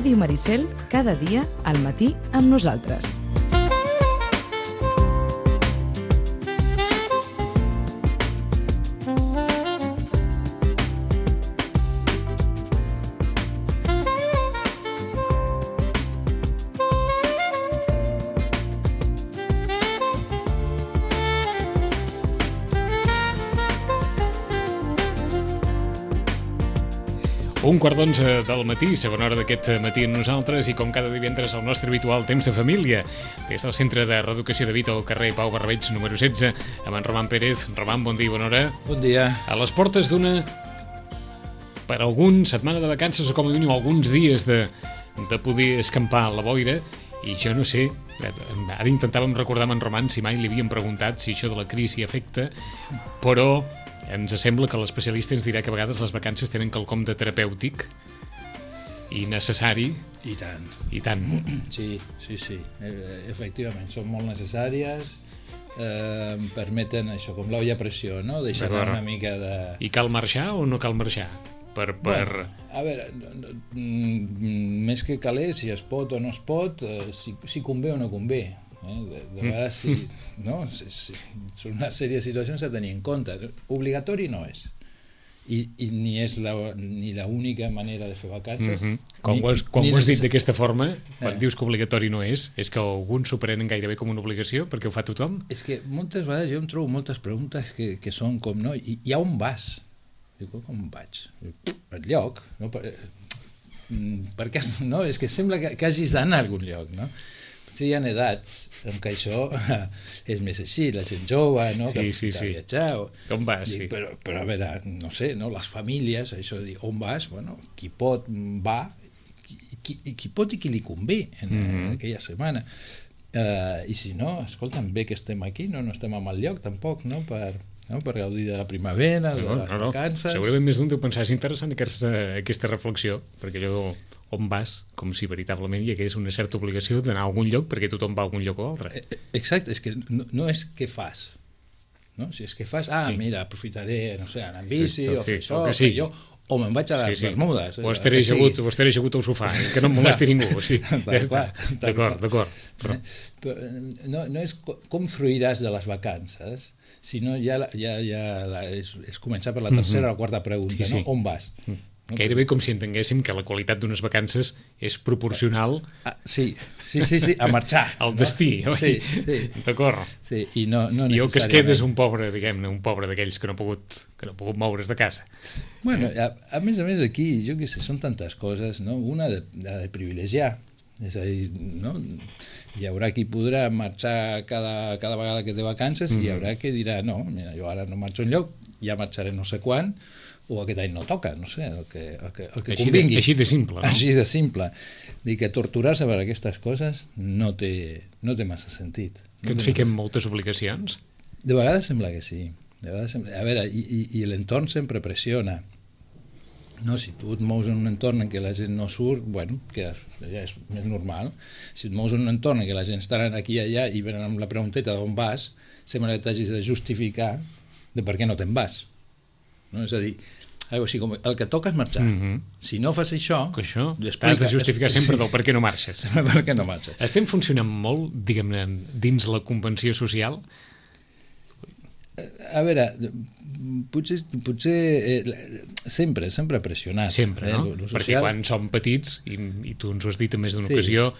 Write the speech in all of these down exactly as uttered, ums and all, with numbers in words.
Ràdio Maricel, cada dia al matí amb nosaltres. Un quart d'onze del matí, segona hora d'aquest matí amb nosaltres, i com cada divendres el nostre habitual temps de família, des del Centre de Reeducació de Vita al carrer Pau Barberig número setze, amb en Roman Pérez. Roman, bon dia i bona hora. Bon dia. A les portes d'una, per algun setmana de vacances o com a mínim alguns dies de, de poder escampar a la boira, i jo no sé, ara intentàvem recordar amb en Roman si mai li havíem preguntat si això de la crisi afecta, però ens sembla que l'especialista ens dirà que a vegades les vacances tenen quelcom de terapèutic i necessari. I tant. I tant. Sí, sí, sí. Efectivament, són molt necessàries, eh, permeten això, com l'olla a pressió, no? Deixar una mica de... I cal marxar o no cal marxar? Per, per... Bueno, a veure, més que caler, si es pot o no es pot, eh, si, si convé o no convé. Eh? De, de vegades sí, no? Sí, sí. Són una sèrie de situacions a tenir en compte. Obligatori no és, i, i ni és la, ni l'única manera de fer vacances. Mm-hmm. Quan ni, ho has, quan ni ho has dit necess... d'aquesta forma, quan eh. dius que obligatori no és, és que alguns s'ho prenen gairebé com una obligació perquè ho fa tothom? És que moltes vegades jo em trobo moltes preguntes que, que són com, no? I, i a on vas? Dic, com vaig? Al lloc, no? Per, per què, no? És que sembla que, que hagis d'anar a algun lloc, no? Sí, hi ha edats en què això és més així, la gent jove, no? Sí, que, sí, que sí. viatjar. O... Com vas, Dic, sí. Però, però a veure, no sé, no? Les famílies, això de dir, on vas? Bueno, qui pot va, qui, qui, qui pot i qui li convé en, mm-hmm. en aquella setmana. Uh, I si no, escolta'm, bé que estem aquí, no, no estem a mal lloc tampoc, no? Per, no? per gaudir de la primavera, de no, les no, no. vacances. Segurament més d'un deu pensar, és interessant aquesta, aquesta reflexió, perquè allò on vas, com si veritablement hi hagués una certa obligació d'anar a algun lloc perquè tothom va a algun lloc o altre. Exacte, és que no, no és què fas, no? Si és que fas, ah, sí. mira, aprofitaré, no sé, anar en bici, sí, o fer això, o, sí. jo, o me'n vaig a les sí, sí. Bermudes. O estaré assegut, o estaré assegut al sofà, eh? Que no em molesti ningú. Sí. Ja està. D'acord, d'acord. Però... No, no és com fruiràs de les vacances, sinó ja, ja, ja la, és, és començar per la tercera mm-hmm. o la quarta pregunta, sí, sí. no? On vas? Mm. Gairebé com si entenguéssim que la qualitat d'unes vacances és proporcional ah, sí, sí, sí, sí, a marxar al destí, no? oi? Sí, sí. D'acord. Sí, i no, no I el que es queda és un pobre, diguem-ne, un pobre d'aquells que no ha pogut, que no ha pogut moure's de casa. Bueno, a, a més a més aquí, jo què sé, són tantes coses, no? Una de, de privilegiar, és a dir, no? Hi haurà qui podrà marxar cada, cada vegada que té vacances mm-hmm. i hi haurà qui dirà, no, mira, jo ara no marxo enlloc, ja marxaré no sé quan, o aquest any no toca, no sé, el que, el que, el que així convingui. De, així de simple, no? Així de simple. Dir que torturar-se per aquestes coses no té, no té massa sentit. No que ens fiquem moltes obligacions? De vegades sembla que sí. De vegades sembla... A veure, i, i, i l'entorn sempre pressiona. No, si tu et mous en un entorn en què la gent no surt, bueno, que ja és més normal. Si et mous en un entorn en què la gent està aquí i allà i venen amb la pregunteta d'on vas, sembla que t'hagis de justificar de per què no te'n vas. No? És a dir, o sigui, com el que toca és marxar. Mm-hmm. Si no fas això... Que això t'has de justificar sempre del per què no marxes. Per què no marxes. Estem funcionant molt, diguem-ne, dins la convenció social? A veure, potser, potser eh, sempre, sempre pressionat. Sempre, no? Eh, lo, lo Perquè quan som petits, i, i tu ens ho has dit en més d'una sí. ocasió,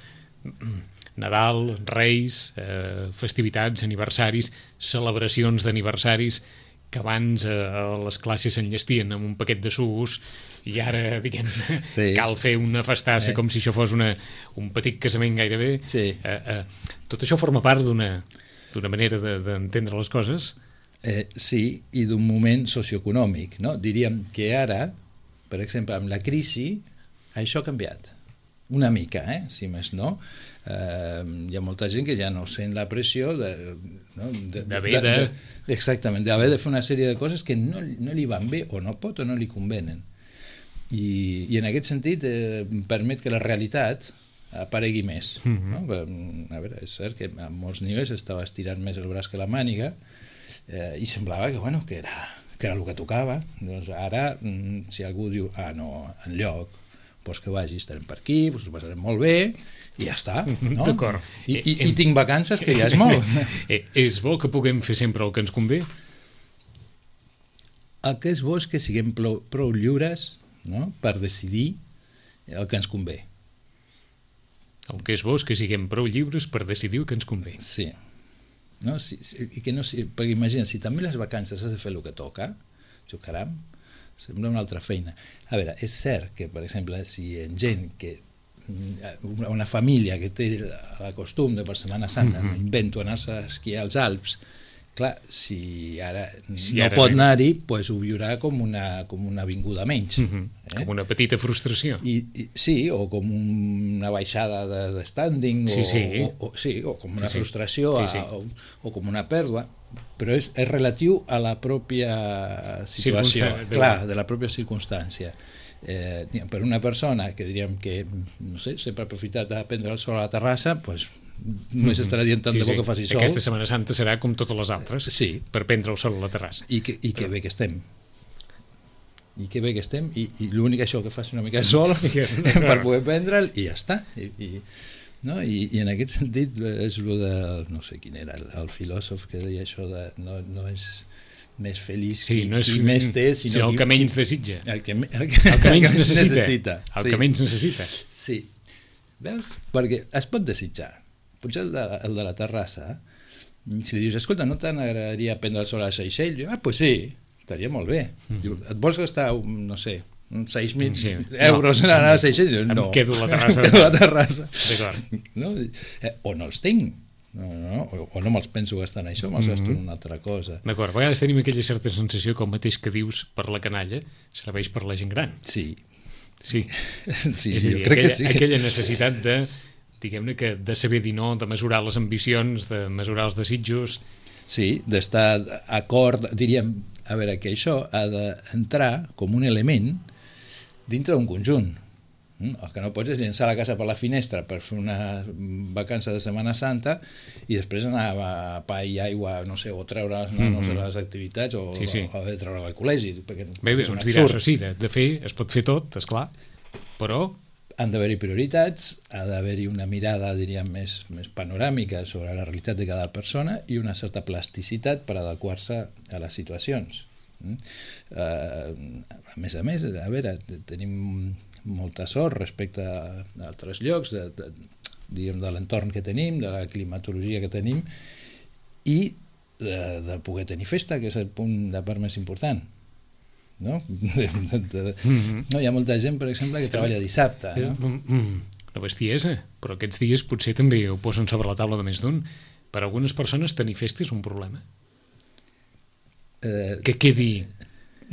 Nadal, Reis, eh, festivitats, aniversaris, celebracions d'aniversaris, que abans eh, les classes s'enllestien amb un paquet de sucs i ara, diguem, sí. cal fer una festassa eh. com si això fos una, un petit casament gairebé. Sí. Eh, eh, tot això forma part d'una d'una manera d'entendre de, les coses? Eh, sí, i d'un moment socioeconòmic, no? Diríem que ara, per exemple, amb la crisi, això ha canviat. Una mica, eh? Si més no. Eh, hi ha molta gent que ja no sent la pressió de, no? de, d'haver de, de, de, exactament, d'haver de fer una sèrie de coses que no, no li van bé o no pot o no li convenen. I, i en aquest sentit eh, permet que la realitat aparegui més. Mm-hmm. No? A veure, és cert que a molts nivells estava estirant més el braç que la màniga eh, i semblava que, bueno, que, era, que era el que tocava. Doncs ara, si algú diu, ah, no, enlloc, pues que vagi, estarem per aquí, pues ho passarem molt bé, i ja està. No? D'acord. I, i, I tinc vacances, que ja és molt. És bo que puguem fer sempre el que ens convé? El que és bo és que siguem prou, prou lliures, no?, per decidir el que ens convé. El que és bo és que siguem prou lliures per decidir el que ens convé. Sí. No? Sí, sí, i que no, sí, perquè imagina, si també les vacances has de fer el que toca, jo, caram, sembla una altra feina. A veure, és cert que, per exemple, si en gent que una família que té el costum de per Setmana Santa, mm-hmm. invento anar-se a esquiar als Alps, clar, si ara si no ara pot anar-hi, pues ho viurà com una, com una vinguda menys. Mm-hmm. eh? Com una petita frustració. I, i, sí, o com una baixada de, de standing, sí, sí. O, o, o, sí, o com una sí, frustració, sí, sí. A, o, o com una pèrdua, però és, és relatiu a la pròpia situació, clar, de la pròpia circumstància. Eh, per una persona que diríem que, no sé, sempre ha aprofitat a prendre el sol a la terrassa, doncs només estarà dient tant sí, de bo sí. que faci sol. Aquesta Setmana Santa serà com totes les altres, sí. per prendre el sol a la terrassa. I que, i que bé que estem. I que bé que estem, i, i l'únic això que faci una mica de sol per poder prendre'l, i ja està. I, i, no? I, i en aquest sentit és el de, no sé quin era, el, el filòsof que deia això de no, no és més feliç sí, qui, no és, qui més té, sinó sinó el qui, que menys desitja. El que, el que, el que menys el que necessita. necessita. El sí. que menys necessita. Sí. Veus? Perquè es pot desitjar. Potser el de, el de la terrassa, si li dius, escolta, no t'agradaria prendre el sol a Seychelles? Diu, ah, doncs pues sí, estaria molt bé. Mm-hmm. Diu, et vols gastar, no sé, uns sis mil sí. euros no. en anar a Seychelles? Diu, no. Em quedo a la terrassa. Em quedo a la terrassa. D'acord. No? Eh, o no els tinc. No, no, o, o no me'ls penso gastar en això, me'ls mm-hmm. gasto en una altra cosa. D'acord, a vegades tenim aquella certa sensació que el mateix que dius per la canalla serveix per la gent gran. Sí. Sí, sí és a dir, jo crec aquella, que sí. aquella necessitat de, diguem-ne, que de saber dir no, de mesurar les ambicions, de mesurar els desitjos. Sí, d'estar acord, diríem, a veure, que això ha d'entrar com un element dintre d'un conjunt. El que no pots és llençar la casa per la finestra per fer una vacança de Setmana Santa i després anar a pa i aigua, no sé, o treure els nanos mm-hmm. a les activitats o, sí, sí. o, o treure al col·legi. Bé, bé, uns diràs, o sí, de, de fer es pot fer tot, esclar, però... Han d'haver-hi prioritats, ha d'haver-hi una mirada, diríem, més, més panoràmica sobre la realitat de cada persona i una certa plasticitat per adequar-se a les situacions. Mm? Uh, a més a més, a veure, tenim molta sort respecte a altres llocs de, de, diguem, de l'entorn que tenim, de la climatologia que tenim i de, de poder tenir festa, que és el punt de part més important. No? De, de, de, mm-hmm. no? Hi ha molta gent, per exemple, que treballa dissabte. No? Una bestiesa, però aquests dies potser també ho posen sobre la taula de més d'un. Per a algunes persones tenir festa és un problema. Eh, que quedi,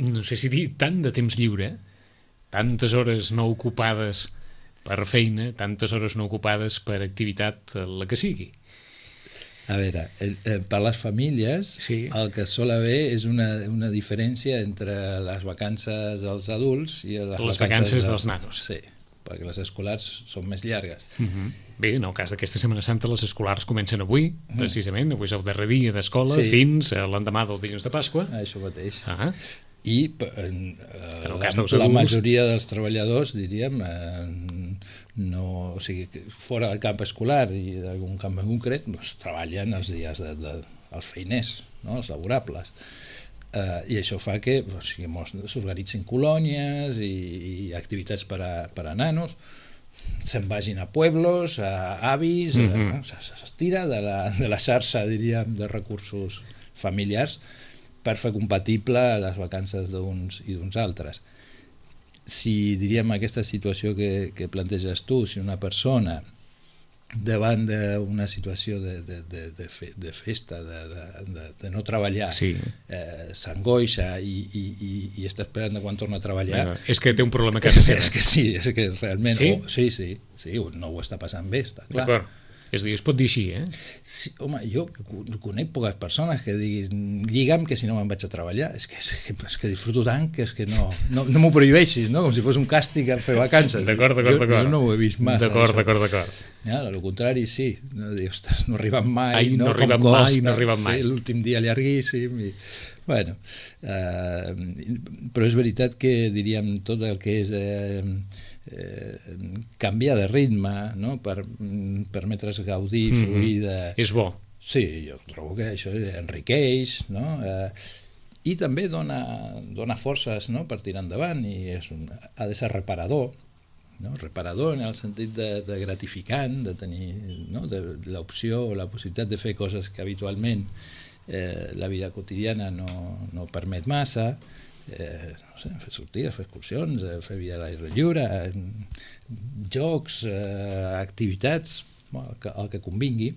no sé si dir, tant de temps lliure, tantes hores no ocupades per feina, tantes hores no ocupades per activitat, la que sigui. A veure, per les famílies sí. el que sol haver és una, una diferència entre les vacances dels adults i les, les vacances, vacances dels, dels nanos. Sí, perquè les escolars són més llargues. Uh-huh. Bé, en el cas d'aquesta Setmana Santa les escolars comencen avui, uh-huh. precisament, avui és el darrer dia d'escola sí. fins a l'endemà del dilluns de Pasqua. Això mateix. Uh-huh. I en, en la, la majoria dels treballadors, diríem, eh, no, o sigui, fora del camp escolar i d'algun camp en concret, doncs, treballen els dies de, de, els feiners, no? Els laborables. Eh, I això fa que o sigui, s'organitzin colònies i, i activitats per a, per a nanos, se'n vagin a pueblos, a avis, mm-hmm. s'estira de la, de la xarxa, diríem, de recursos familiars per fer compatible les vacances d'uns i d'uns altres. Si, diríem, aquesta situació que, que planteges tu, si una persona davant d'una situació de, de, de, de, fe, de festa, de, de, de no treballar, sí. eh, s'angoixa i, i, i, i està esperant quan torna a treballar... Bueno, és que té un problema a casa seva. És que sí, és que realment... Sí? Oh, sí, sí, sí, no ho està passant bé, està clar. D'acord. És a dir, es pot dir així, eh? Sí, home, jo conec poques persones que diguin lliga'm que si no me'n vaig a treballar. És que, és que, és que disfruto tant que és que no, no, no m'ho prohibeixis, no? Com si fos un càstig a fer vacances. D'acord, d'acord, jo, d'acord. Jo no ho he vist massa. D'acord, d'acord, d'acord. Ja, al contrari, sí. No, dius, ostres, no arriben mai, Ai, no, no arriben com costa, mai, no arriben mai. Sí, l'últim dia llarguíssim. I, bueno, eh, però és veritat que, diríem, tot el que és... Eh, eh, canviar de ritme, no? Per permetre's gaudir, mm-hmm. fluir de... És bo. Sí, jo trobo que això enriqueix, no? Eh, i també dona, dona forces, no? Per tirar endavant, i és un, ha de ser reparador, no? Reparador en el sentit de, de gratificant, de tenir, no? de, de l'opció o la possibilitat de fer coses que habitualment eh, la vida quotidiana no, no permet massa, eh, no sé, fer sortides, fer excursions, eh, fer vida a l'aire lliure, eh, jocs, eh, activitats, bueno, el, que, el que convingui.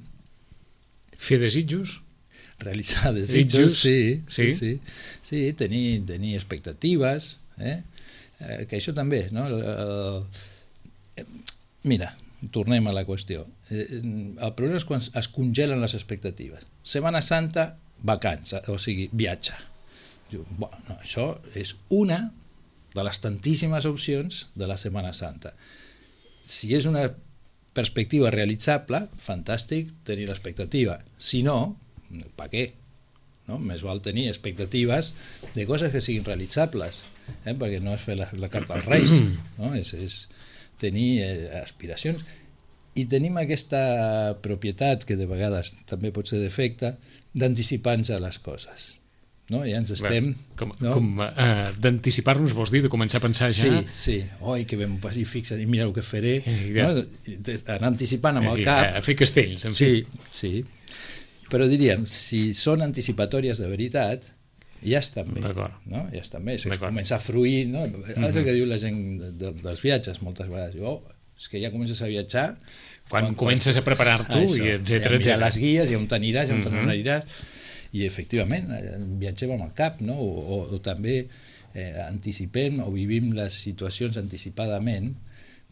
Fer desitjos? Realitzar desitjos, sí, sí, sí, sí, sí, tenir, tenir expectatives, eh? Eh, que això també, no? El, el, mira, tornem a la qüestió. Eh, el problema és quan es congelen les expectatives. Setmana Santa, vacança, o sigui, viatge. Diu, bueno, no, això és una de les tantíssimes opcions de la Setmana Santa. Si és una perspectiva realitzable, fantàstic tenir l'expectativa. Si no, per què? No? Més val tenir expectatives de coses que siguin realitzables, eh? Perquè no és fer la, la carta als Reis, no? és, és tenir eh, aspiracions. I tenim aquesta propietat, que de vegades també pot ser defecte, d'anticipar-nos a les coses. No? Ja ens estem... Bé, com no? com uh, d'anticipar-nos vols dir, de començar a pensar ja... Sí, sí. Oi, que ben i fixa't, i mira el que faré. Ja. No? Anar anticipant amb el sí, cap... A fer castells, en sí, fi. Sí, però diríem, si són anticipatòries de veritat, ja estan bé. No? Ja estan bé. És començar a fruir, no? Mm-hmm. És el que diu la gent de, de, dels viatges moltes vegades. Diu, oh, és que ja comences a viatjar... Quan, quan comences a preparar-t'ho, i etcètera, etcètera. Ja les guies, i on t'aniràs, i on mm-hmm. no aniràs... I efectivament, viatgem amb el cap, no? o, o, o també eh, anticipem o vivim les situacions anticipadament,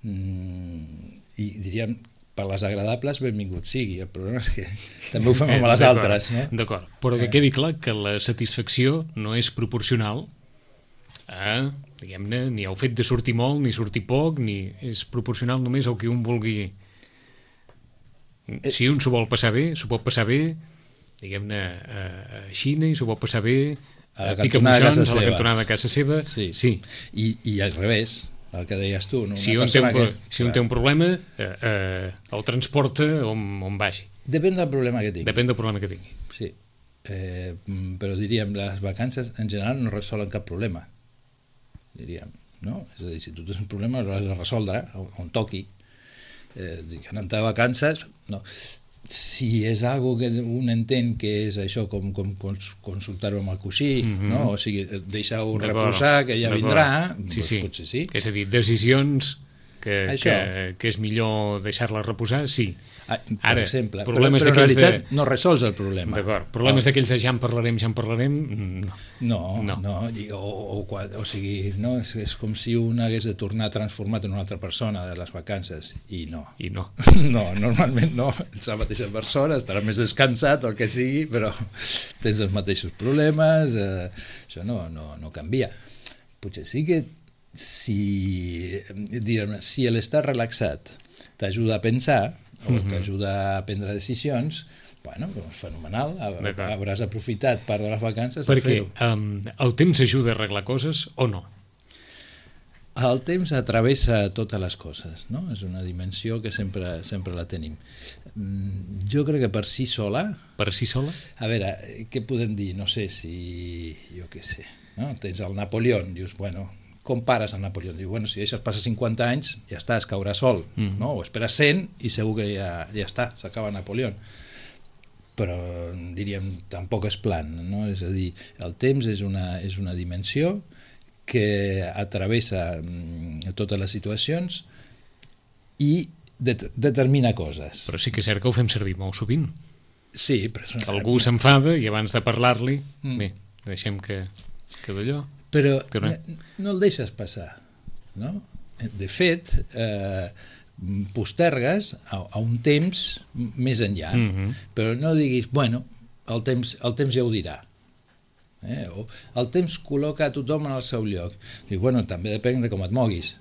mm, i diríem, per les agradables, benvingut sigui. El problema és que també ho fem amb les altres. No? D'acord, però que quedi clar que la satisfacció no és proporcional a, diguem-ne, ni al fet de sortir molt, ni sortir poc, ni és proporcional només al que un vulgui. Si un s'ho vol passar bé, s'ho pot passar bé, diguem-ne, a Xina, i s'ho pot passar bé a la cantonada de casa seva. A la cantonada de casa seva. Sí. Sí. I, I al revés, el que deies tu. No? Si, un té un, que, si un té un problema, eh, eh, el transporta on, on vagi. Depèn del problema que tingui. Depèn del problema que tingui. Sí. Eh, però diríem, les vacances en general no resolen cap problema. Diríem, no? És a dir, si tu tens un problema, l'has de resoldre on toqui. Eh, anant de vacances, no. Si és algo que un entén que és això com, com consultar-ho amb el coixí, mm-hmm. no? O sigui, deixar-ho reposar, que ja vindrà, sí, doncs sí. Potser sí. És a dir, decisions que, que, que és millor deixar-les reposar, sí. Ah, per Ara, exemple, però, però en realitat de... no resols el problema. D'acord, problemes oh. d'aquells de ja en parlarem, ja en parlarem, no. No, no, no. O, o, o sigui, no? És, és com si un hagués de tornar transformat en una altra persona de les vacances, i no. I no. No, normalment no, ets la mateixa persona, estaràs més descansat, el que sigui, però tens els mateixos problemes, eh, això no, no, no canvia. Potser sí que si, diguem, si l'estar relaxat t'ajuda a pensar, o mm-hmm. t'ajuda a prendre decisions, bueno, fenomenal, hauràs aprofitat part de les vacances a Perquè fer-ho. Um, el temps ajuda a arreglar coses o no? El temps atravessa totes les coses, no? És una dimensió que sempre, sempre la tenim. Jo crec que per si sola... Per si sola? A veure, què podem dir? No sé si... Jo què sé, no? Tens el Napoleó, dius, bueno... com pares el Napoleó? Diu, bueno, si deixes passar cinquanta anys, ja està, es caurà sol, mm. no? O esperes cent i segur que ja, ja està, s'acaba Napoleó. Però, diríem, tampoc és plan, no? És a dir, el temps és una, és una dimensió que atravessa mm, totes les situacions i det determina coses. Però sí que és cert que ho fem servir molt sovint. Sí, però... Algú s'enfada i abans de parlar-li, mm. bé, deixem que, que d'allò... Però no el deixes passar, no? De fet, eh, postergues a, a un temps més enllà, mm-hmm. però no diguis, bueno, el temps, el temps ja ho dirà. Eh? O el temps col·loca a tothom en el seu lloc. I, bueno, també depèn de com et moguis.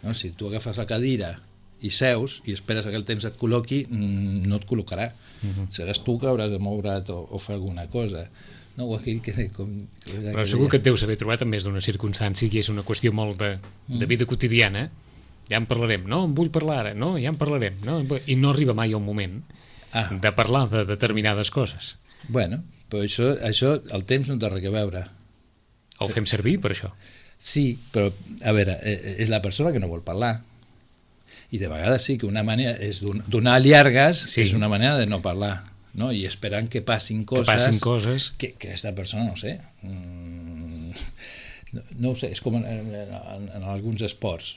No? Si tu agafes la cadira i seus i esperes que el temps et col·loqui, no et col·locarà. Mm-hmm. Seràs tu que hauràs de moure't o, o fer alguna cosa. No, aquell que, com, que però segur que et deus haver trobat en més d'una circumstància i és una qüestió molt de, de vida quotidiana, ja en parlarem, no, en vull parlar ara, no, ja en parlarem, no? I no arriba mai el moment ah. de parlar de determinades coses. Bueno, però això, això el temps no té res a veure. El fem servir per això. Sí, però, a veure, és la persona que no vol parlar. I de vegades sí que una manera és donar llargues, sí. és una manera de no parlar, no? I esperant que passin coses, que, passin coses. que, que aquesta persona, no sé, mm, no, no ho sé, és com en, en, en alguns esports.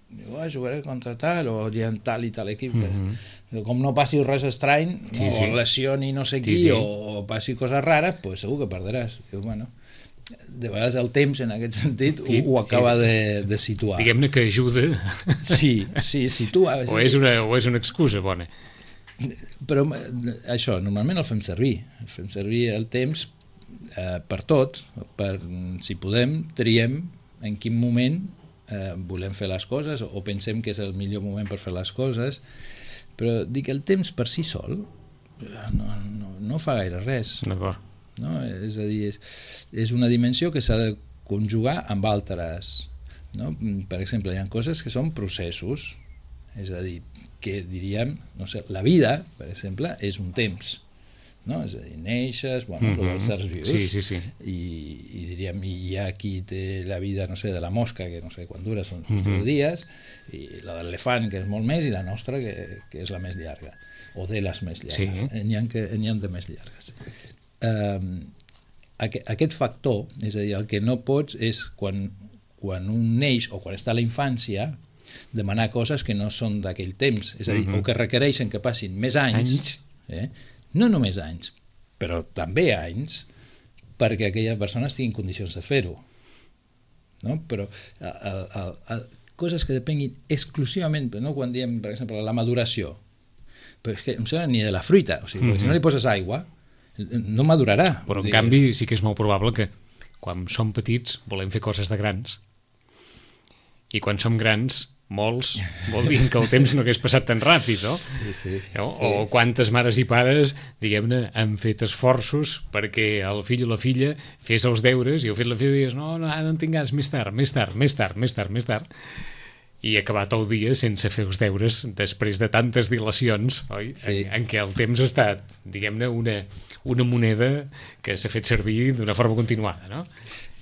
Diu, oh, jugaré contra tal, o hi ha tal i tal equip. Mm-hmm. Com no passi res estrany, sí, no, sí. o lesioni no sé qui, sí, sí. O, o passi coses rares, pues segur que perdràs. Diu, bueno, de vegades el temps en aquest sentit sí, ho, ho acaba de, de situar. Diguem-ne que ajuda. Sí, sí, situa. O és una, o és una excusa bona. Però això, normalment el fem servir. El fem servir el temps eh, per tot, per, si podem, triem en quin moment eh, volem fer les coses o pensem que és el millor moment per fer les coses, però dic, el temps per si sol no, no, no fa gaire res. D'acord. No? És a dir, és, és una dimensió que s'ha de conjugar amb altres, no? Per exemple, hi ha coses que són processos, és a dir, que diríem, no sé, la vida, per exemple, és un temps, no? És a dir, neixes, bueno, mm-hmm. els certs vius, sí, sí, sí. I, i diríem, hi ha qui té la vida, no sé, de la mosca, que no sé quan dura, són mm-hmm. tres dies, i la de l'elefant, que és molt més, i la nostra, que, que és la més llarga, o de les més llargues, sí. n'hi ha, que, n'hi ha de més llargues. Uh, aquest, aquest factor, és a dir, el que no pots és quan, quan un neix o quan està a la infància demanar coses que no són d'aquell temps, és a dir, uh-huh. o que requereixen que passin més anys, anys. Eh? No només anys, però també anys, perquè aquella persona estigui en condicions de fer-ho, no? Però a, a, a, coses que depenguin exclusivament, no? Quan diem, per exemple, la maduració, però és que no sé ni de la fruita, o sigui, uh-huh. si no li poses aigua no madurarà. Però en canvi sí que és molt probable que quan som petits volem fer coses de grans i quan som grans molts vol dir que el temps no hagués passat tan ràpid, no? Sí, sí, o, sí. o quantes mares i pares, diguem-ne, han fet esforços perquè el fill o la filla fes els deures i el fill o la filla dius, no, no, no en tinc ganes, més tard, més tard, més tard, més tard, més tard. I acabat el dia sense fer els deures després de tantes dilacions, oi? Sí. En, en què el temps ha estat, diguem-ne, una, una moneda que s'ha fet servir d'una forma continuada, no?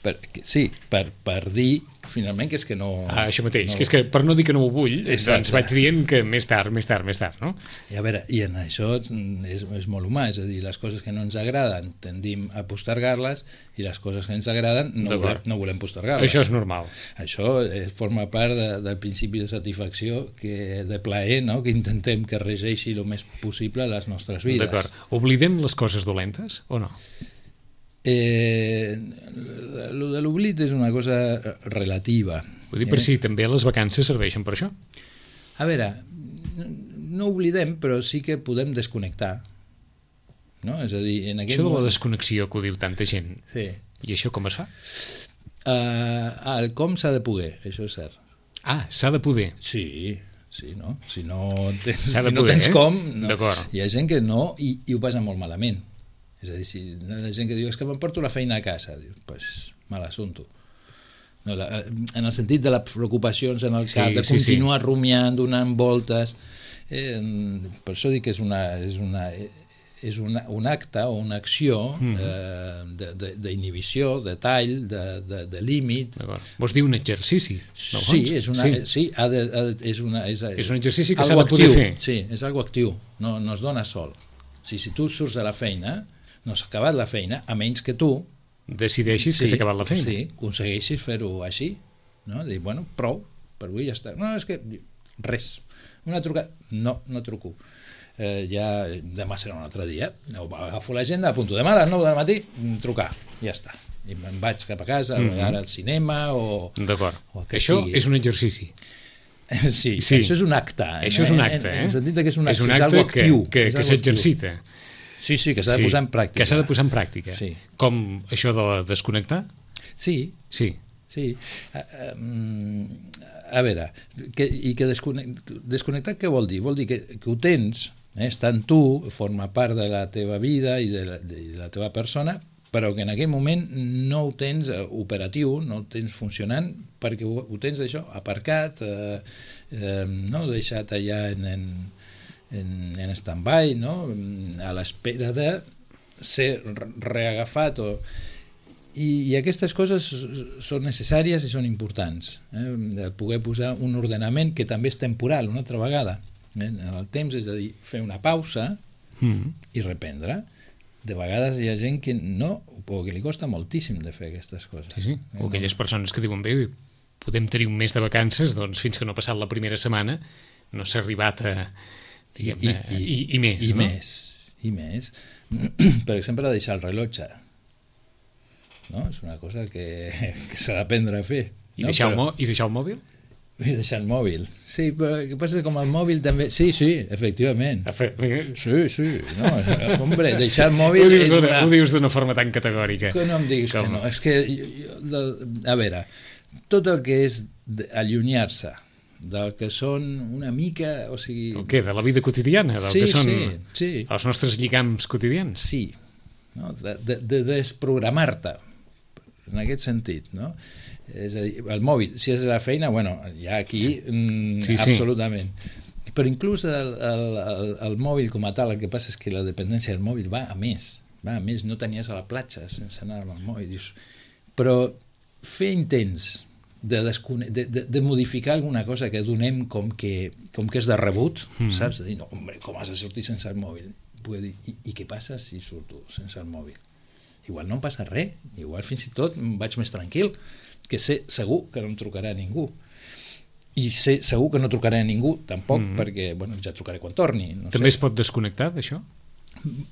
Per, sí, per, per dir finalment que és que no... Ah, això mateix, no... que és que per no dir que no ho vull, exacte. Doncs vaig dient que més tard, més tard, més tard, no? I a veure, i en això és, és molt humà, és a dir, les coses que no ens agraden tendim a postergar-les i les coses que ens agraden no, volem, no volem postergar-les. Això és normal. Això forma part de, del principi de satisfacció, que, de plaer, no? Que intentem que regeixi el més possible les nostres vides. D'acord. Oblidem les coses dolentes o no? Eh, lo de l'oblit és una cosa relativa. Vull dir, per eh? si també les vacances serveixen per això. A veure, no oblidem, però sí que podem desconnectar, no? És a dir, en aquest això de la moment... desconnexió que ho diu tanta gent, sí. I això com es fa? Uh, el com s'ha de poder, això és cert. Ah, s'ha de poder. Sí, sí, no? Si no tens, s'ha de si no poder, tens eh? com, no. D'acord. Hi ha gent que no i, i ho passa molt malament. És a dir, si la gent que diu és que m'emporto la feina a casa, diu, pues, mal assumpto. No, la, en el sentit de les preocupacions en el cap, sí, de continuar sí, sí. rumiant, donant voltes, eh, per això dic que és una, és una, és una, un acte o una acció mm. eh, d'inhibició, de, de tall, de, de, de límit. Vols dir un exercici? Sí, és, una, sí. Sí, ha de, ha de, és, una, és, és un exercici que s'ha de poder actiu, fer. Sí, és algo actiu, no, no es dona sol. Si, si tu surts de la feina, no s'ha acabat la feina, a menys que tu decideixis sí, que s'ha acabat la feina. Sí, aconsegueixis fer-ho així, no? Dir, bueno, prou, per avui ja està. No, és que res. Una trucada, no, no truco. Eh, ja demà serà un altre dia. Agafo l'agenda, apunto demà a les nou del matí, trucar, ja està. I me'n vaig cap a casa, mm-hmm. ara al cinema o... D'acord. O això sigui. És un exercici. Sí, sí, això és un acte. Això és un acte, eh? En el sentit que és un acte, és un acte és que, actiu, que, que s'exercita. Sí, sí, que s'ha de sí, posar en pràctica. Que s'ha de posar en pràctica. Sí. Com això de desconnectar? Sí. Sí. Sí. A, a, a veure, que, i que desconnectar, desconnectar què vol dir? Vol dir que, que ho tens, eh, està en tu, forma part de la teva vida i de la, de la teva persona, però que en aquell moment no ho tens operatiu, no ho tens funcionant, perquè ho, ho tens això aparcat, eh, eh, no? Deixat allà en, en, en, en stand-by, no? A l'espera de ser reagafat o... I, i aquestes coses són necessàries i són importants, eh? De poder posar un ordenament que també és temporal una altra vegada, eh? En el temps, és a dir, fer una pausa mm. i reprendre. De vegades hi ha gent que no, o que li costa moltíssim de fer aquestes coses. Sí, sí. O aquelles persones que diuen, bé, podem tenir un mes de vacances, doncs fins que no ha passat la primera setmana no s'ha arribat a... diguem-ne, i, i, i, i més, i no? més, i més. Per exemple, deixar el rellotge. No? És una cosa que, que s'ha d'aprendre a fer. I, no? deixar Però... el I deixar el mòbil? I deixar el mòbil. Sí, però el que passa és que com el mòbil també... Sí, sí, efectivament. Sí, sí. No, hombre, deixar el mòbil... Ho dius és d'una una... ho dius d'una forma tan categòrica. Que no em diguis com? Que no. És que, jo, jo, de, a veure, tot el que és allunyar-se del que són una mica... O sigui... El què? De la vida quotidiana? Del sí, que són sí, sí. els nostres lligams quotidians? Sí. No? De, de, de desprogramar-te, en aquest sentit, no? És a dir, el mòbil, si és la feina, bueno, ja aquí mm, sí, sí. Absolutament. Però inclús el, el, el, el mòbil com a tal, el que passa és que la dependència del mòbil va a més, va a més, no tenies a la platja sense anar amb el mòbil. Dius, però fer intents de, descone... de, de, de modificar alguna cosa que donem com que, com que és de rebut, mm. saps? De dir, no, hombre, com has de sortir sense el mòbil? Dir, i, I què passa si surto sense el mòbil? Igual no em passa res, igual fins i tot vaig més tranquil, que sé segur que no em trucarà ningú i sé segur que no trucarà a ningú tampoc, mm-hmm. perquè bueno, ja trucaré quan torni. No També sé. Es pot desconnectar d'això?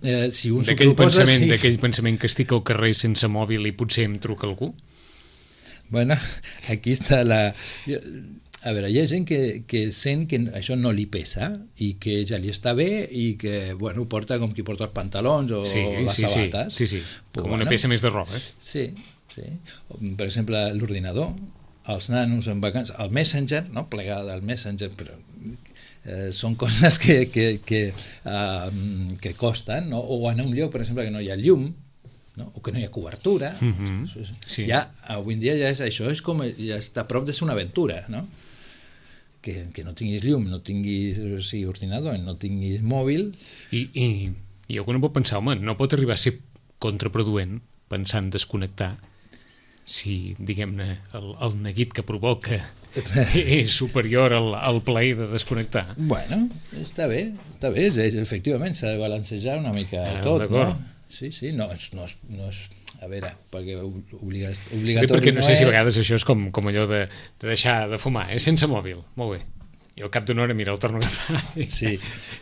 Eh, si un d'aquell proposa, pensament, sí. d'aquell pensament que estic al carrer sense mòbil i potser em truca algú? Bueno, aquí està la... A veure, hi ha gent que, que sent que això no li pesa i que ja li està bé i que, bueno, porta com qui porta els pantalons o sí, les sí, sabates. Sí, sí, sí. Com bueno, una peça més de roba. Sí, sí. Per exemple, l'ordinador, els nanos en vacances, el Messenger, no? Plegada del Messenger, però eh, són coses que, que, que, uh, que costen, no? O anar a un lloc, per exemple, que no hi ha llum, no? O que no hi ha cobertura. Mm-hmm. Sí. Ja, avui en dia ja és, això és com, ja està a prop de ser una aventura, no? Que, que no tinguis llum, no tinguis o sigui, ordinador, no tinguis mòbil. I, i, i algú no pot pensar, home, no pot arribar a ser contraproduent pensant desconnectar si, diguem-ne, el, el neguit que provoca és superior al, al plaer de desconnectar. Bueno, està bé, està bé, efectivament s'ha de balancejar una mica ah, tot, no? Sí, sí, no és, no és, no és a veure, perquè obliga, obligatori perquè no, no sé és... si a vegades això és com, com allò de, de deixar de fumar, eh? Sense mòbil, molt bé. I al cap d'una hora, mira, el torno a agafar. Sí.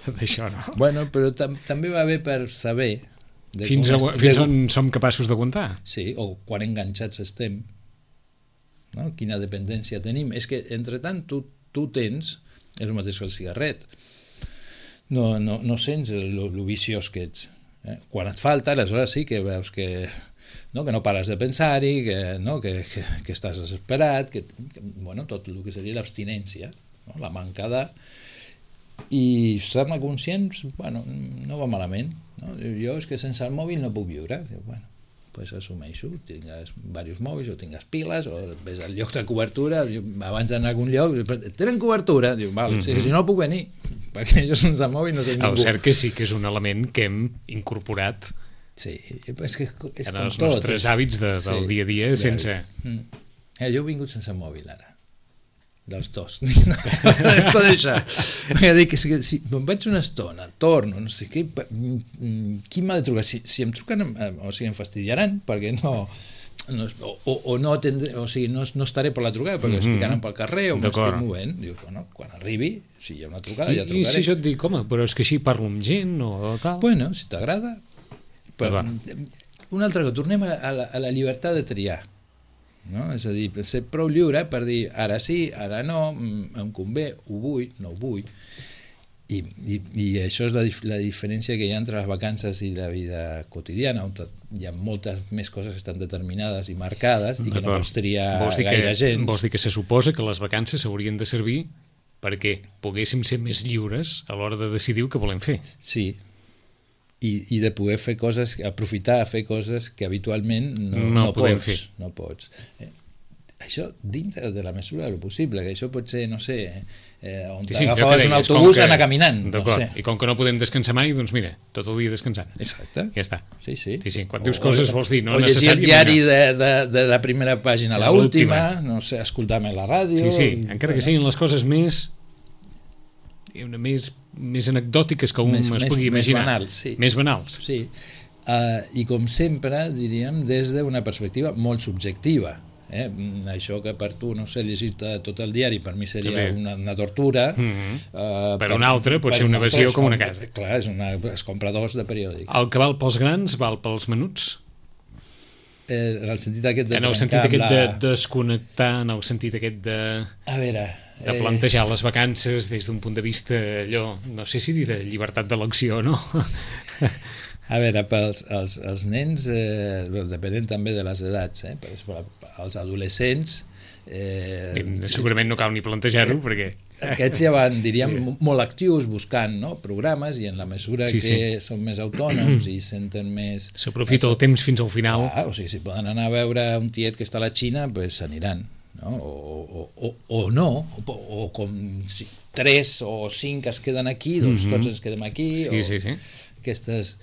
D'això, no? Bueno, però tam també va bé per saber... De fins a, es... fins de... on som capaços d'aguantar. Sí, o quan enganxats estem, no? Quina dependència tenim. És que, entre tant, tu, tu tens, és el mateix que el cigarret, no, no, no sents lo, lo viciós que ets. Eh? Quan et falta, aleshores sí que veus que... No, que no pares de pensar-hi, que, no, que, que, que estàs desesperat, que, que, bueno, tot el que seria l'abstinència, no? La manca de... I ser-ne conscients, bueno, no va malament. No? Jo és que sense el mòbil no puc viure. Diu, bueno, pues assumeixo, tingues diversos mòbils o tingues piles o ves al lloc de cobertura, abans d'anar a algun lloc, tenen cobertura? Diu, val, mm-hmm. si, si no puc venir, perquè jo sense el mòbil no sé ningú. El cert que sí que és un element que hem incorporat sí, és que és en com els tot. nostres hàbits de, del sí, dia a dia sense... Mm. Eh, jo he vingut sense mòbil ara, dels dos. Això d'això. Dic, si, si me'n vaig una estona, torno, no sé què, qui m'ha de trucar? Si, si em truquen, o sigui, em fastidiaran, perquè no... no o, o no atendré, o sigui, no, no estaré per la trucada, perquè mm-hmm. estic anant pel carrer o m'estic movent. Dius, bueno, quan arribi, si hi ha una trucada, I, ja trucaré. I si jo et dic, home, però és que així parlo amb gent o tal... Bueno, si t'agrada... Però, una altra cosa, tornem a la, a la llibertat de triar, no? És a dir, ser prou lliure per dir ara sí, ara no, em convé, ho vull, no ho vull, i, i, i això és la, la diferència que hi ha entre les vacances i la vida quotidiana, on hi ha moltes més coses que estan determinades i marcades i que no pots triar gaire gent. Vols dir que se suposa que les vacances s'haurien de servir perquè poguéssim ser més lliures a l'hora de decidir el que volem fer. Sí, i, i de poder fer coses, aprofitar a fer coses que habitualment no, no, no podem pots. fer. No pots. Eh, això dintre de la mesura del possible, que això pot ser, no sé, eh, on Sí, sí, t'agafaves un deies, autobús que- anar caminant. No D'acord, sé. i com que no podem descansar mai, doncs mira, tot el dia descansant. Exacte. Ja està. Sí, sí. Sí, sí, quan dius coses vols dir, no o llegir el necessàriament. diari de, de, de la primera pàgina a A l'última, l'última. no sé, escoltar-me la ràdio... Sí, sí, encara que siguin les coses més diguem-ne, més, més anecdòtiques que un Més- es més- pugui més imaginar. banals, sí. Més banals. Sí. Uh, I com sempre, diríem, des d'una perspectiva molt subjectiva. Eh? Mm, Això que per tu, no sé, llegir-te tot el diari, per mi seria També. una, una tortura. Mhm. uh, Per un altre pot ser una altre visió és com una com- casa. Clar, és una, es compra dos de periòdic. El que val pels grans val pels menuts. Eh, en el sentit aquest de En el trencar sentit amb aquest la... de desconnectar, en el sentit aquest de, A veure... de plantejar les vacances des d'un punt de vista allò, no sé si dir de llibertat d'elecció, no? A veure, pels els, els nens, eh, depenent també de les edats, eh? Per exemple, els adolescents... Eh, Segurament no cal ni plantejar-ho, perquè... Aquests ja van, diríem, molt actius buscant, no?, programes, i en la mesura Sí, que sí. són més autònoms i senten més... S'aprofita el temps fins al final. Clar, o sigui, si poden anar a veure un tiet que està a la Xina, pues s'aniran, no? O, o, o, o no, o, o com si tres o cinc es queden aquí, doncs Mhm. tots ens quedem aquí. Sí, o sí, sí. Aquestes...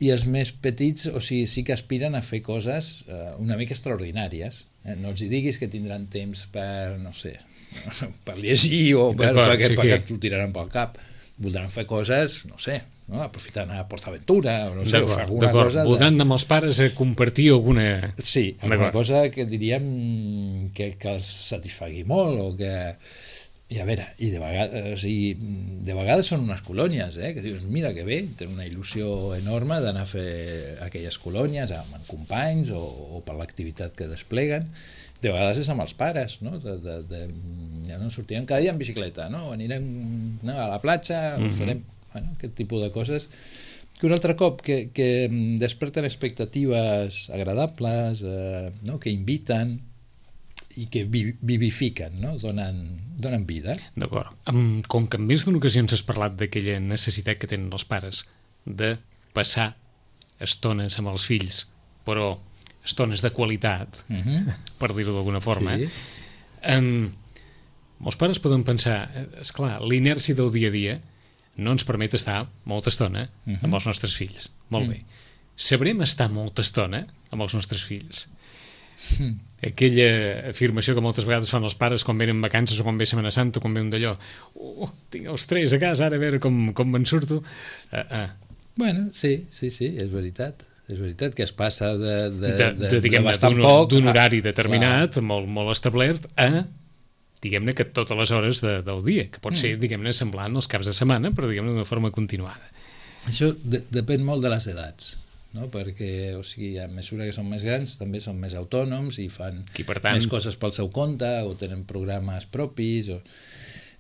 I els més petits, o sigui, sí que aspiren a fer coses eh, una mica extraordinàries. Eh? No els hi diguis que tindran temps per, no sé, per llegir o per, D'acord, perquè, sí perquè que- t'ho tiraran pel cap. Voldran fer coses, no sé, no? Aprofitar anar a PortAventura, o no sé, o fer D'acord, alguna d'acord. cosa... Voldran anar amb els pares a compartir alguna... Sí, alguna D'acord. cosa que diríem que, que els satisfagui molt o que... I a veure, i de vegades, o sigui, de vegades són unes colònies, eh? Que dius, mira que bé, tenen una il·lusió enorme d'anar a fer aquelles colònies amb, amb companys o, o per l'activitat que despleguen. De vegades és amb els pares, no? De, de, de, ja no sortirem cada dia en bicicleta, no? Anirem no, a la platja, mm -hmm. farem bueno, aquest tipus de coses que un altre cop que, que desperten expectatives agradables, eh, no? Que inviten i que vi vivifiquen, no? donen, donen vida. D'acord. Com que en més d'una ocasió ens has parlat d'aquella necessitat que tenen els pares de passar estones amb els fills, però estones de qualitat, Uh -huh. per dir-ho d'alguna forma, Sí. eh? um, molts pares poden pensar, és clar, l'inèrcia del dia a dia no ens permet estar molta estona Uh -huh. amb els nostres fills. Molt bé. Sabrem estar molta estona amb els nostres fills? Mm. Aquella afirmació que moltes vegades fan els pares quan venen vacances o quan ve Setmana Santa o quan ve un d'allò, oh, tinc els tres a casa, ara a veure com, com me'n surto. Uh, uh. Bueno, sí, sí, sí, és veritat. És veritat que es passa de, de, De, de, diguem-ne, bastant d'un poc d'un a- horari determinat, clar. molt, molt establert, a, diguem-ne, que totes les hores de, del dia, que pot ser, diguem-ne, semblant als caps de setmana, però, diguem-ne, d'una forma continuada. Això de, depèn molt de les edats, no? Perquè, o sigui, a mesura que són més grans també són més autònoms i fan I, per tant- més coses pel seu compte o tenen programes propis o...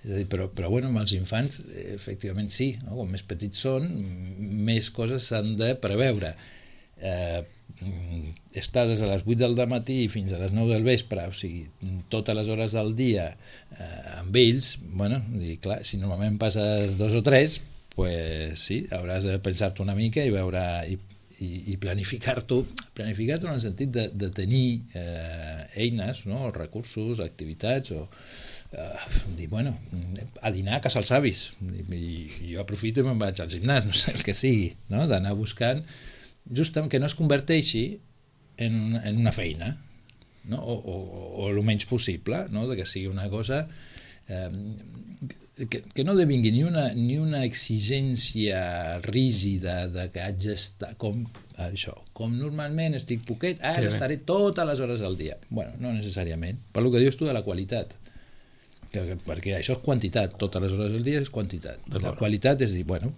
És a dir, però, però bueno, amb els infants eh, efectivament sí, no? Com més petits són m- més coses s'han de preveure. Eh, mm, estar des de les vuit del matí fins a les nou del vespre, o sigui, totes les hores del dia eh, amb ells, bueno, i clar, si normalment passes dos o tres, pues sí, hauràs de pensar-te una mica i veure i, i, i planificar-t'ho planificar-t'ho en el sentit de, de tenir eh, eines, no? Recursos, activitats o eh, dir, bueno, a dinar a casa els avis i, i jo aprofito i me'n vaig al gimnàs, no sé, el que sigui, no? D'anar buscant justament que no es converteixi en, en una feina, no? o, o, o el menys possible, no? De que sigui una cosa eh, que, que no devingui ni una, ni una exigència rígida de que haig d'estar com això, com normalment estic poquet, ara Sí, estaré totes les hores del dia. Bueno, no necessàriament, per lo que dius tu de la qualitat, que, perquè això és quantitat, totes les hores del dia és quantitat. La qualitat és dir, bueno,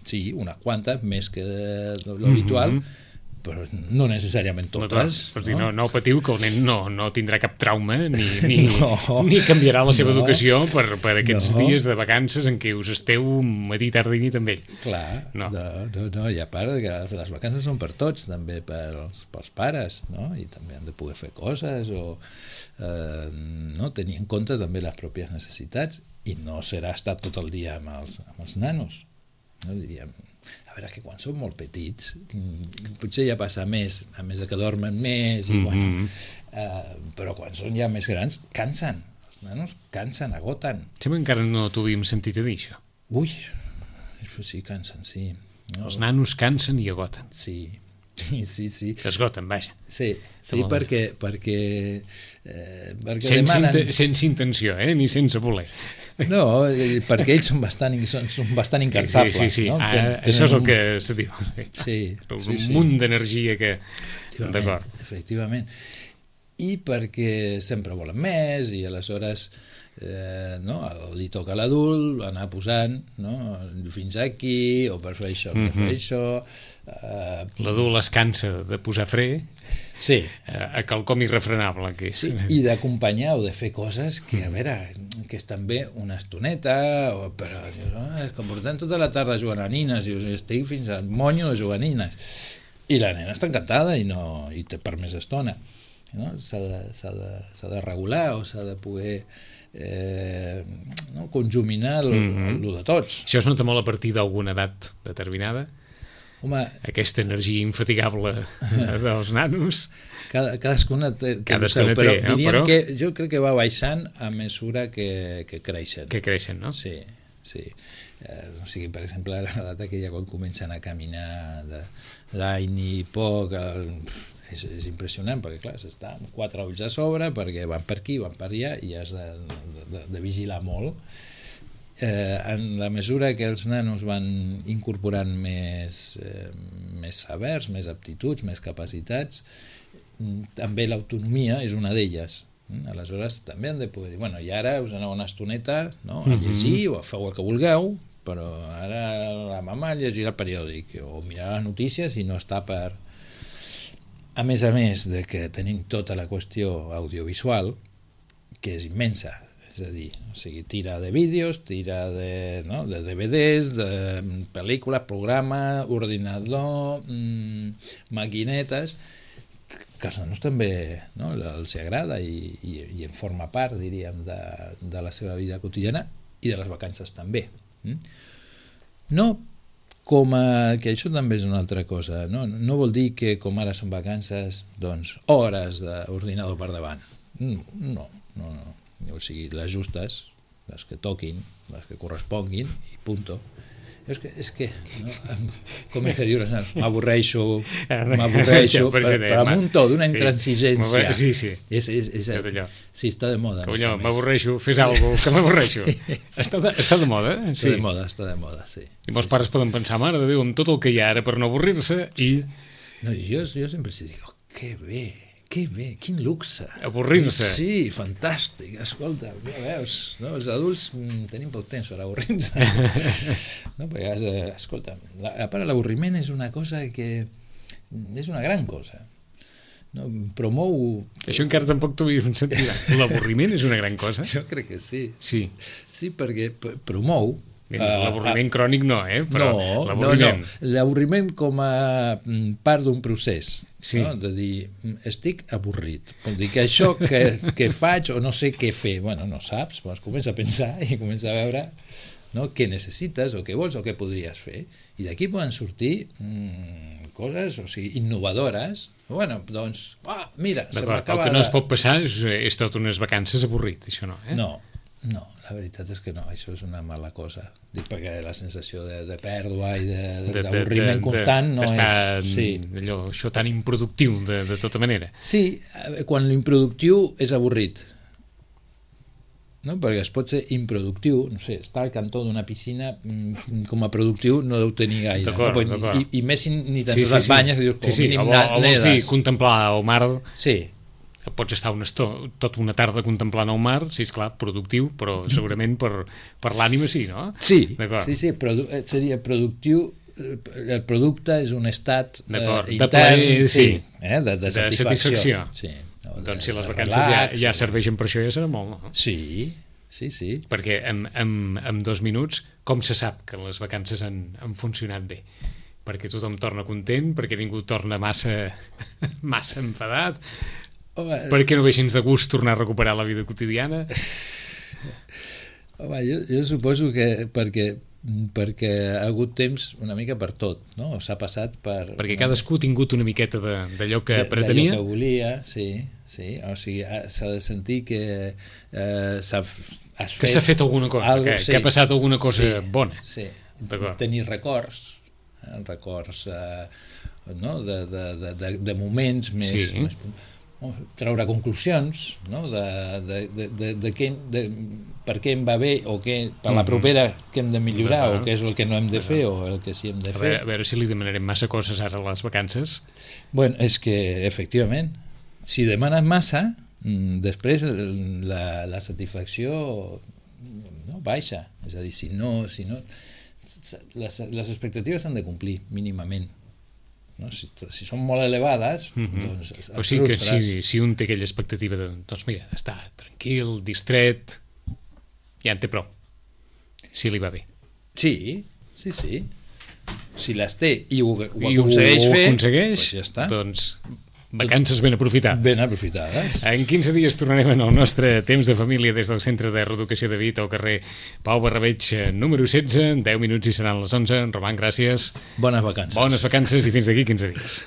sí, unes quantes, més que l'habitual, mm-hmm. però no necessàriament totes. No, no? No, no patiu que el nen no, no tindrà cap trauma ni, ni, No. ni canviarà la seva No. educació per, per aquests No. dies de vacances en què us esteu matí, tarda i nit amb ell. Clar, No. no. No, no, no, i a part que les vacances són per tots, també pels, pels pares, no? I també han de poder fer coses o eh, no? Tenir en compte també les pròpies necessitats i no serà estar tot el dia amb els, amb els nanos. no? Diríem, a veure, que quan són molt petits, potser ja passa més, a més de que dormen més, i, bueno, mm-hmm. eh, però quan són ja més grans, cansen. Els nanos cansen, agoten. Sembla que encara no t'ho havíem sentit a dir, això. Ui, sí, cansen, sí. No? Els nanos cansen i agoten. Sí, sí, sí. sí. S'esgoten, vaja. Sí, sí perquè, perquè, eh, perquè sense, demanen... inte, sense intenció, eh? Ni sense voler. No, perquè ells són bastant, són, són bastant incansables. Sí, sí, sí. No? Ah, Ten, això és el un... que se diu. Sí, un sí, sí. munt d'energia que... Efectivament, d'acord. efectivament. I perquè sempre volen més i aleshores eh, no, li toca a l'adult anar posant, no, fins aquí, o per fer això, per mm-hmm. fer això... Eh... L'adult es cansa de posar fre, sí. a, a quelcom irrefrenable que és. Sí, i d'acompanyar o de fer coses que, a veure, que estan bé una estoneta, o, però oh, és que portem tota la tarda jugant a nines i estic fins al monyo de jugar a nines. I la nena està encantada i, no, i té per més estona. No? S'ha de, s'ha de, s'ha de regular o s'ha de poder eh, no? conjuminar el mm-hmm. de tots. Això es nota molt a partir d'alguna edat determinada? Home, aquesta energia infatigable dels nanos. Cada, cadascuna té, té cadascuna seu, però té, no? diríem però... que jo crec que va baixant a mesura que, que creixen. Que creixen, no? Sí, sí. Eh, o sigui, per exemple, a l'edat aquella quan comencen a caminar de l'any i poc, el, és, és impressionant, perquè clar, s'està amb quatre ulls a sobre, perquè van per aquí, van per allà, i has de, de, de vigilar molt. Eh, en la mesura que els nanos van incorporant més, eh, més sabers, més aptituds, més capacitats, també l'autonomia és una d'elles. Aleshores també han de poder dir, bueno, i ara us aneu una estoneta, no, a llegir o a fer el que vulgueu, però ara la mama llegirà el periòdic o mirarà les notícies i no està per... A més a més de que tenim tota la qüestió audiovisual, que és immensa, és a dir, o sigui, tira de vídeos, tira de, no, de D V Ds, de pel·lícules, programa, ordinador, mmm, maquinetes, que als nanos també, no, els agrada i, i, i en forma part, diríem, de, de la seva vida quotidiana i de les vacances també. No com a... que això també és una altra cosa, no, no vol dir que com ara són vacances, doncs, hores d'ordinador per davant. No, no, no. O sigui, les justes, les que toquin, les que corresponguin, i punto. És que, és que no, com és que dius, m'avorreixo, m'avorreixo, per, per amb un to d'una intransigència. Sí, sí. És, és, és, sí, està de moda. Que allò, m'avorreixo, fes alguna cosa, que m'avorreixo. Sí. Està, de, està de moda? Està sí. de moda, està de moda, sí. I molts sí, pares sí. poden pensar, mare de Déu, amb tot el que hi ha ara per no avorrir-se, i... No, jo, jo sempre dic, oh, que bé, que bé, quin luxe. Avorrir-se. Sí, fantàstic, escolta, ja veus, no? Els adults mm, tenim poc temps per avorrir-se. No, perquè, escolta, a part l'avorriment és una cosa que és una gran cosa. No? Promou... Això encara tampoc t'ho havies sentit. L'avorriment és una gran cosa? Jo crec que sí. Sí. Sí, perquè promou... L'avorriment uh, crònic no, eh? Però no, l'avorriment... no, no. L'avorriment com a part d'un procés. Sí. No? De dir, estic avorrit. Vol dir que això que, que faig o no sé què fer, bueno, no saps, doncs comença a pensar i comença a veure, no, què necessites o què vols o què podries fer. I d'aquí poden sortir mmm, coses, o sigui, innovadores. Bueno, doncs, ah, mira, se m'acaba... El que no es pot passar és, és tot unes vacances avorrit, això no, eh? No, no, la veritat és que no, això és una mala cosa. Dic perquè la sensació de, de pèrdua i d'avorriment constant no és... Sí. Allò, això tan improductiu, de, de tota manera. Sí, quan l'improductiu és avorrit. No? Perquè es pot ser improductiu, no sé, estar al cantó d'una piscina com a productiu no deu tenir gaire. D'acord, no? d'acord. I, I més si ni tan sí, sols sí, et banyes, sí. dius, com sí, sí. mínim o, o vols dir contemplar el mar... Sí. Pots estar una estona, tota una tarda contemplant el mar, sí, esclar, productiu, però segurament per, per l'ànima sí, no? Sí, sí, sí, produ seria productiu, el producte és un estat eh, intern, de plaer, sí, eh, de, de, de satisfacció. satisfacció. Sí, no, de, doncs si les vacances relax, ja, ja serveixen per això ja serà molt, no? Sí, sí, sí. Perquè en, en, en dos minuts, com se sap que les vacances han, han funcionat bé? Perquè tothom torna content, perquè ningú torna massa, massa enfadat... Home, per què no veixins de gust tornar a recuperar la vida quotidiana? Home, jo, jo suposo que perquè perquè ha hagut temps una mica per tot, no? S'ha passat per... Perquè cadascú ha tingut una miqueta de- d'allò que de- pretenia. d'allò que volia, sí, sí. O sigui, ha- s'ha de sentir que eh, s'ha f- has Que s'ha fet alguna cosa, algo, que- que ha passat alguna cosa sí, bona. Sí, D'acord. tenir records, eh, records eh, no? de, de, de, de, de moments més... Sí. més no? Treure conclusions, no? de, de, de, de, de, què, de per què em va bé o què, per la Mhm. propera què hem de millorar D'acord. o què és el que no hem de fer o el que sí hem de A fer. veure, a veure si li demanarem massa coses ara a les vacances. Bueno, és que, efectivament, si demanes massa, mm, després la, la satisfacció no, baixa. És a dir, si no... Si no les, les expectatives s'han de complir, mínimament. No? Si, si són molt elevades, Mhm. doncs et O sigui que frustres. si, si un té aquella expectativa de, doncs mira, d'estar tranquil, distret, ja en té prou. Si li va bé. Sí, sí, sí. Si les té i ho, ho I aconsegueix ho fer, aconsegueix, doncs ja està. doncs vacances ben aprofitades. Ben aprofitades. En quinze dies tornarem en el nostre temps de família des del Centre de Reeducació de Vita al carrer Pau Barrabeig eh, número setze, deu minuts i seran les onze. Roman, gràcies. Bones vacances. Bones vacances i fins d'aquí quinze dies.